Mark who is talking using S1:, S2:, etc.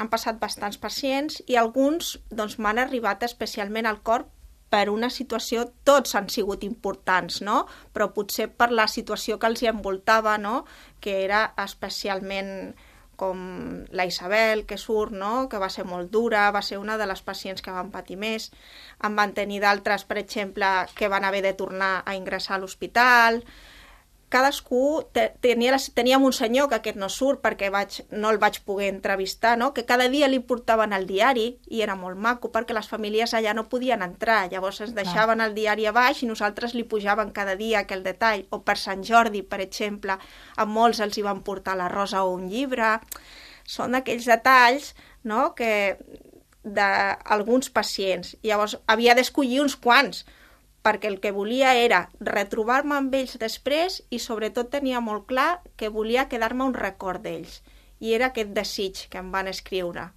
S1: han passat bastants pacients i alguns doncs, m'han arribat especialment al cor per una situació, tots han sigut importants, no? Però potser per la situació que els hi envoltava, no? Que era especialment com la Isabel, que surt, no? Que va ser molt dura, va ser una de les pacients que van patir més. En van tenir d'altres, per exemple, que van haver de tornar a ingressar a l'hospital. Cadascú teníem un senyor, que aquest no surt perquè no el vaig poder entrevistar, no? Que cada dia li portaven el diari i era molt maco perquè les famílies allà no podien entrar, llavors ens deixaven el diari a baix i nosaltres li pujaven cada dia aquell detall. O per Sant Jordi, per exemple, a molts els hi van portar la rosa o un llibre. Són aquells detalls, no? Que d'alguns pacients. Llavors havia d'escollir uns quants, perquè el que volia era retrobar-me amb ells després i sobretot tenia molt clar que volia quedar-me un record d'ells. I era aquest desig que em van escriure.